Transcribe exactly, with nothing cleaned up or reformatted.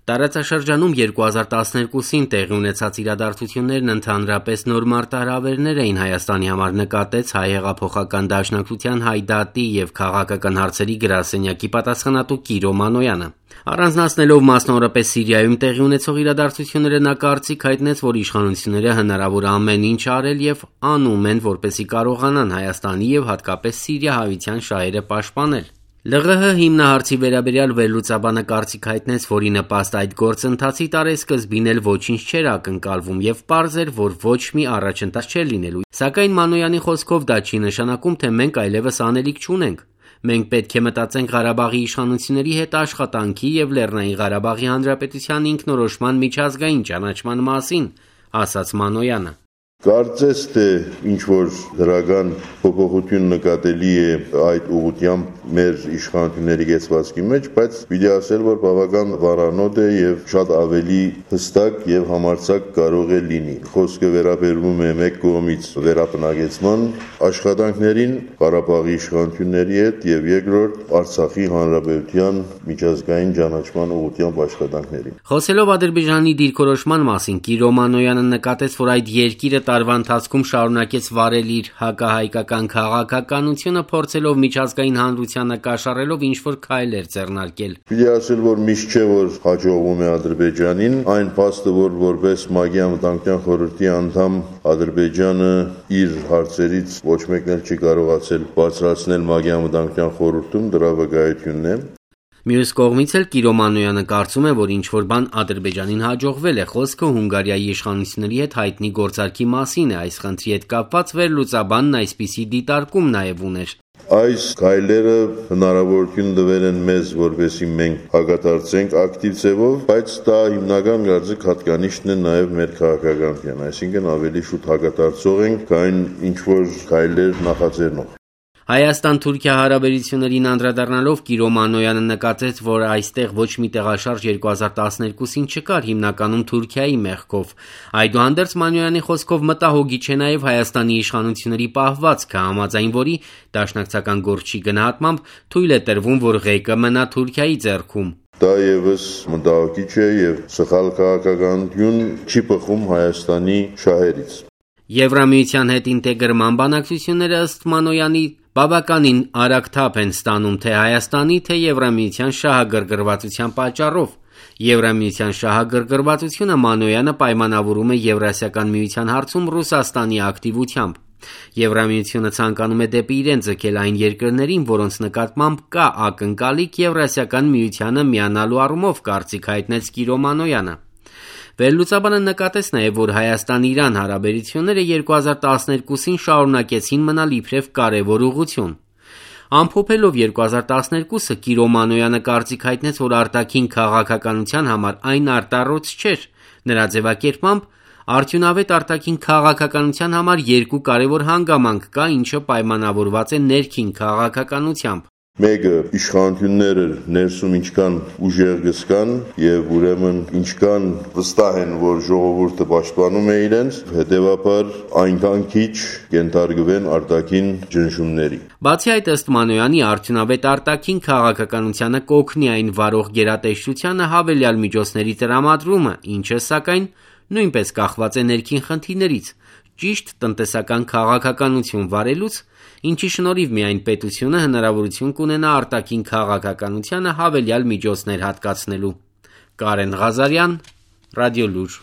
Տարածաշրջանում երկու հազար տասներկուսին տեղի ունեցած իրադարձություններն ընդհանրապես նոր մարտահրավերներ էին Հայաստանի համար, նկատեց Հայ հեղափոխական դաշնակցության Հայդատի և քաղաքական հարցերի գրասենյակի պատասխանատու Կիրո Մանոյանը։ Առանձնացնելով մասնավորապես Սիրիայում տեղի ունեցող իրադարձությունները, նա կարծիք հայտնեց, որ իշխանությունները հնարավոր ամեն ինչ արել և անում են, որպեսզի կարողանան Հայաստանի և հատկապես սիրիահայության շահերը պաշտպանել։ ԼՂՀ հիմնահարցի վերաբերյալ վերլուծաբանը կարծիք հայտնեց, որ ի նպաստ այդ գործընթացի տարեսկզբին էլ ոչինչ չէր ակնկալվում և պարզ էր, որ ոչ մի առաջընթաց չէր լինելու, սակայն Մանոյանի խոսքով դա չի նշանակում, թե մենք այլևս անելիք չունենք։ Մենք պետք է մտածենք Ղարաբաղի իշխանությունների հետ աշխատանքի և Լեռնային Ղարաբաղի Հանրապետության ինքնորոշման միջազգային ճանաչման մասին, ասաց Մանոյանը։ Կարծես թե ինչ-որ դրական փոփոխություն նկատելի է այդ ուղղությամբ մեր իշխանությունների կեցվածքի մեջ, բայց պիտի ասել, որ բավական վառանոտ է և շատ ավելի հստակ և համարձակ կարող է լինի։ Խոսքը վերաբերվում է մեկ կողմից վերապնակեցման աշխատանքներին Ղարաբաղի իշխանությունների հետ և երկրորդ Արցախի հանրապետության միջազգային ճանաչման ուղղությամբ աշխատանքներին։ Խոսելով Ադրբեջանի դիրքորոշման մասին, Կիրո Մանոյանը նկատեց, որ այդ երկիրը տարվա ընթացքում շարունակեց վարել իր հակահայկական քաղաքականությունը, փորձելով միջազգային հանրությանը կաշառելով ինչ-որ քայլեր ձեռնարկել։ Պիտի ասել, որ միշտ չէ, որ հաջողվում է Ադրբեջանին, այն փաստը, որ որպես ՄԱԳ-ի անվտանգության խորհրդի անդամ Ադրբեջանը իր հարցերից ոչ մեկն էլ չի կարողացել բարձրացնել ՄԱԳ-ի անվտանգության խորհրդում, դրա վկայությունն է։ Մյուս կողմից էլ Կիրո Մանոյանը կարծում է, որ ինչ-որ բան Ադրբեջանին հաջողվել է, խոսքը Հունգարիայի իշխանությունների հետ հայտնի գործարքի մասին է, այս խնդրի հետ կապված վերլուծաբանն այսպիսի դիտարկում նաև ուներ։ Այս քայլերը հնարավորություն տվել են մեզ, որպեսզի մենք հակադարձենք ակտիվ ձևով, բայց դա հիմնական կարծիք հատկանիշն է նաև մեր քաղաքականության, այսինքն ավելի շուտ հակադարձող ենք, քան ինչ-որ քայլեր նախաձեռնող։ Հայաստան-Թուրքիա հարաբերություններին անդրադառնալով Կիրո Մանոյանը նկատեց, որ այստեղ ոչ մի տեղաշարժ երկու հազար տասներկուսին չկար, հիմնականում Թուրքիայի մեղքով։ Այդուհանդերձ Մանոյանի խոսքով մտահոգիչ է նաև Հայաստանի իշխանությունների պահվածքը, համաձայն որի դաշնակցական գործչի գնահատմամբ թույլ է տրվում, որ ղեկը մնա Թուրքիայի ձեռքում։ Դա ևս մտահոգիչ է և սխալ քաղաքականություն չի բխում Հայաստանի շահերից։ Եվրամիության հետ ինտեգրման բանակցությունները ըստ Մանոյանի բավականին արագ թափ են ստանում թե Հայաստանի, թե Եվրամիության շահագրգռվածության պատճառով։ Եվրամիության շահագրգռվածությունը Մանոյանը պայմանավորում է Եվրասիական միության հարցում Ռուսաստանի ակտիվությամբ։ Եվրամիությունը ցանկանում է դեպի իրեն ձգել այն երկրներին, որոնց նկատմամբ կա ակնկալիք Եվրասիական միությանը միանալու առումով, կարծիք հայտնեց Կիրո Մանոյանը։ Վերլուծաբանը նկատեց նաև, որ Հայաստան-Իրան հարաբերությունները երկու հազար տասներկուսին շարունակեցին մնալ իբրև կարևոր ուղղություն։ Ամփոփելով երկու հազար տասներկուսը, Կիրո Մանոյանը կարծիք հայտնեց, որ արտաքին քաղաքականության համար այն արտառոց չէր։ Նրա ձևակերպմամբ արդյունավետ արտաքին քաղաքականության համար երկու կարևոր հանգամանք կա, ինչը պայմանավորված է ներքին քաղաքականությամբ։ Մեկը իշխանությունները ներսում ինչքան ուժեղ գսկան և ուրեմն ինչքան վստահ են, որ ժողովուրդը պաշտպանում է իրենց, հետևաբար այնքան քիչ կենթարկվեն արտաքին ճնշումների։ Բացի այդ, ըստ Մանոյանի, արդյունավետ արտաքին քաղաքականությանը կօգնի այն վարող գերատեսչությանը հավելյալ միջոցների տրամադրումը, ինչը սակայն նույնպես կախված է ներքին խնդիրներից, ճիշտ տնտեսական քաղաքականություն վարելուց, ինչի շնորհիվ միայն պետությունը հնարավորություն կունենա արտաքին քաղաքականությանը հավելյալ միջոցներ հատկացնելու։ Կարեն Ղազարյան, Ռադիոլուր։